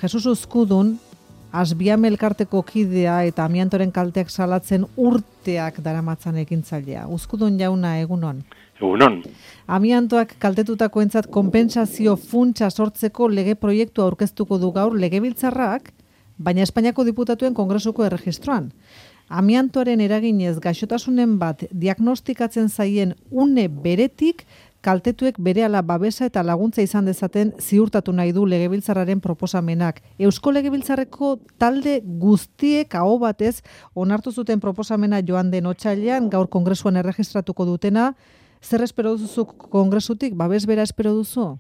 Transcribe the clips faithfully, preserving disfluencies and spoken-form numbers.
Jesus Uzkudun, Asbiam elkarteko kidea eta amiantoren kalteak salatzen urteak daramatzan ekintzailea. Uzkudun jauna, egunon. Egunon. Amiantoak kaltetutakoentzat konpentsazio funtsa sortzeko lege proiektua aurkeztuko du gaur Legebiltzarrak, baina Espainiako diputatuen kongresuko erregistroan. Amiantoaren eraginez gaixotasunen bat diagnostikatzen zaien une beretik, kaltetuek berehala babesa eta laguntza izan dezaten ziurtatu nahi du Legebiltzarraren proposamenak. Eusko Legebiltzarreko talde guztiek aho batez onartu zuten proposamena joan den otsailean, gaur kongresuan erregistratuko dutena. Zer espero duzu kongresutik? Babes bera espero duzu?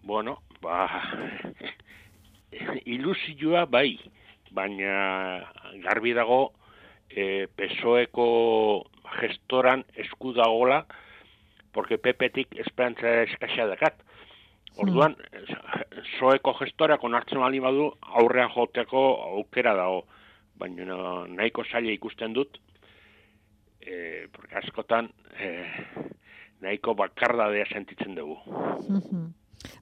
Bueno, ba, ilusioa bai, baina garbi dago eh, P S O Eko gestoran esku dagola, porque P P-tik esperantza eskasa dakat. Orduan, P S O Eko gestorak onartzen bali badu aurrean joteko aukera dago, baina nahiko zaila ikusten dut, eh, porque askotan eh, nahiko bakardadea sentitzen dugu.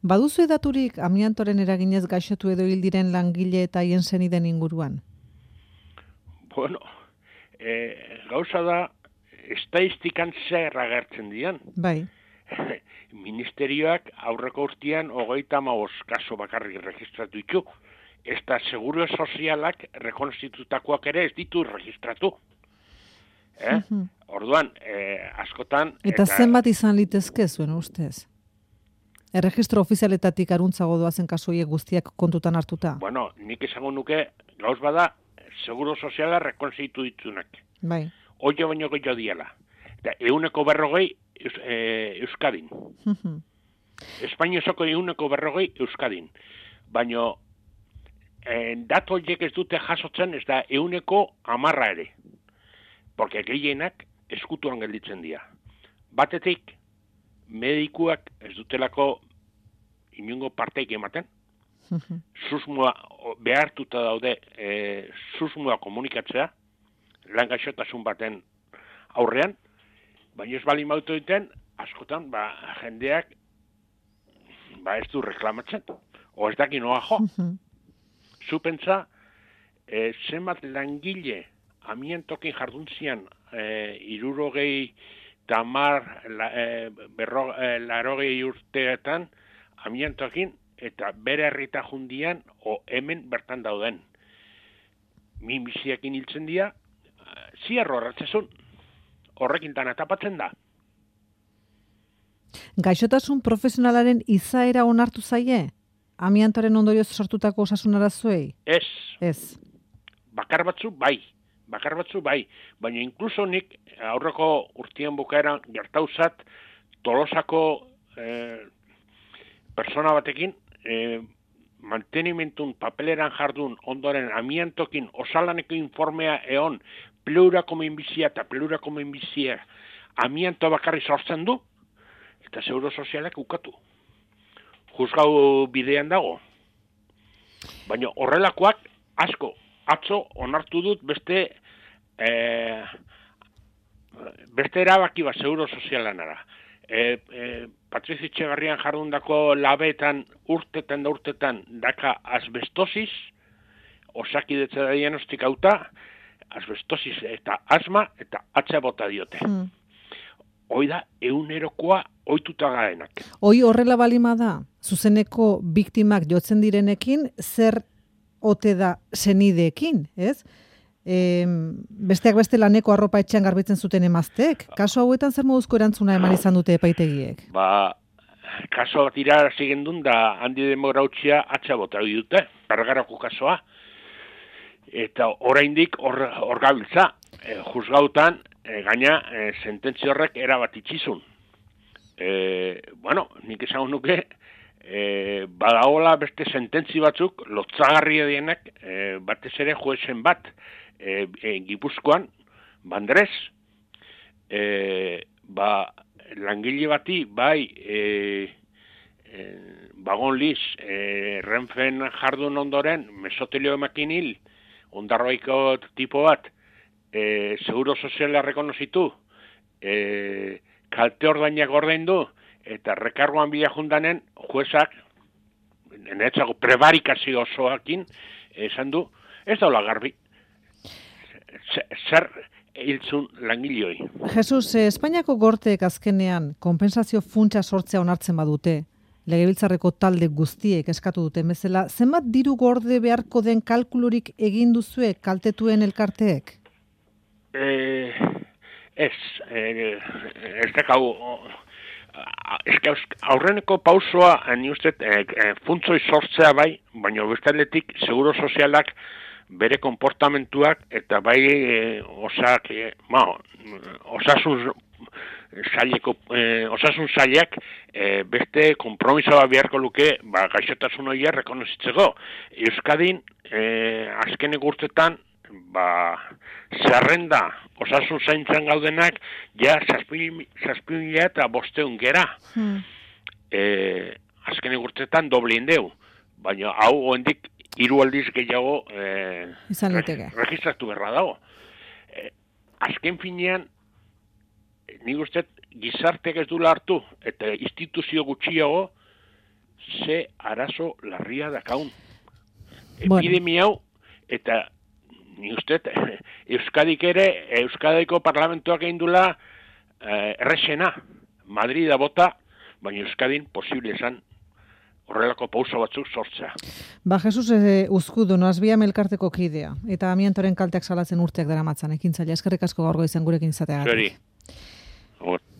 Baduzu edaturik amiantoren eraginez gaixotu edo hil diren langile eta haien senideen inguruan? Bueno, eh, gauza da, estatistikan zer agertzen dian. Bai. Ministerioak aurreko urtean hogeita hamabost kaso bakarrik registratu ditu. Eta seguro sozialak rekonstitutakoak ere ez ditu registratu. Eh? Uh-huh. Orduan, eh, askotan... Eta, eta zenbat izan litezke zuen ustez? Erregistro ofizialetatik aruntzago doazen kasuiek guztiak kontutan hartuta? Bueno, nik esango nuke, gauz bada, seguro soziala rekonstitu ditunak. Bai. Oio baino gehiago diala. Eta euneko berrogei eus, e, Euskadin. Uh-huh. Espainiozoko euneko berrogei Euskadin. Baina e, datu horiek ez dute jasotzen ez da euneko amarra ere. Porque gehienak eskutuan gelditzen dira. Batetik, medikuak ez dutelako inungo parteik ematen. Uh-huh. Susmoa behartuta daude e, susmoa komunikatzea, lan gaixotasun baten aurrean, baina ez bali mautu duten, askotan, ba, jendeak ba, ez du reklamatzen, o ez daki noa jo. Uh-huh. Zupentza, e, zenbat langile amiantokin jarduntzian e, irurogei tamar la, e, berro, e, larogei urteetan amiantokin eta bere herrita jundian o hemen bertan dauden. Minbiziakin hiltzen dira, ziarro horretzezun, horrekin tan atapatzen da. Gaixotasun profesionalaren izaera onartu zaie? Amiantoren ondorioz sortutako osasun arazoei? Ez. Ez. Bakar batzu bai. Bakar batzu bai. Baina inkluso nik aurreko urtean bukaeran gertauzat Tolosako eh, persona batekin eh, mantenimentun papeleran jardun ondoren amiantokin osalaneko informea eon pleurako minbizia eta pleurako minbizia amianto bakarri sortzen du eta seguro sozialak ukatu. Juzgau bidean dago. Baina horrelakoak asko, atzo onartu dut beste eh, beste erabaki bat seguro sozialanara. E, e, Patrizi Etxegarrian jardundako labetan urtetan da urtetan daka asbestosis, osakidetza da diagnostikauta, asbestosis eta asma eta atxa bota diote. Mm. Hoi da, eunerokoa ohituta garenak. Hoi horrela balima da, zuzeneko biktimak jotzen direnekin, zer ote da senideekin, ez? E, besteak beste laneko arropa etxean garbitzen zuten emazteek. Kaso hauetan zer moduzko erantzuna eman izan dute epaitegiek? Ba, kaso bat irarazi gendun da handi demograutxia atxa bota dute, Bergarako kasoa. Eta oraindik hor, hor gabiltza, e, juzgautan, e, gaina, e, sententzio horrek erabat itxizun. E, bueno, nik esan nuke, e, badagola beste sententzi batzuk, lotzagarria dienak, e, batez ere juezen bat, e, e, Gipuzkoan, Bandrez, e, ba, langile bati, bai, e, e, bagon liz, e, Renfen jardun ondoren, mesotelio emakin hil, ondarroiko tipo bat, e, seguro soziala rekonozitu, e, kalte ordainak ordaindu, eta rekargoan bila jundanen, juezak, netzako prebarikazio osoakin, esan du, ez daula garbi. Zer hiltzun langileoi. Jesus, eh, Espainiako gorteek azkenean konpensazio funtsa sortzea onartzen badute, Legebiltzarreko talde guztiek eskatu dute bezala, zenbat diru gorde beharko den kalkulurik egin duzue kaltetuen elkarteek? Eh, ez, eh, ez dakau, ez aurreneko pausoa, ni uste, eh, funtzoi sortzea bai, baina bestaletik seguro sozialak bere konportamentuak eta bai eh, osak, eh, ma, osasun saileko, eh, osasun sailak eh, beste konpromisoa beharko luke ba, gaixotasun horiek rekonozitzeko. Euskadin eh, azken egurtetan ba, zerrenda osasun zaintzan gaudenak ja zazpi mila eta bosteun gera. Hmm. Eh, azken egurtetan doble indeu, baina hau oendik hiru aldiz gehiago eh, registratu berra dago. Eh, azken finean nik uste gizarteak ez dula hartu eta instituzio gutxiago ze arazo larria dakaun. Bueno. Epidemia hau eta nik uste Euskadik ere, Euskadiko parlamentoak egin dula eh, errexena, Madrida bota, baina Euskadin posible esan horrelako pauso batzuk sortzea. Ba, Jesus e, uzkudu, noazbiam elkarteko kidea, eta amiantoren kalteak salatzen urteak daramatzan, ekintzaile, eskerrik asko gaurgo izan gurekin izateagatik. Zeri.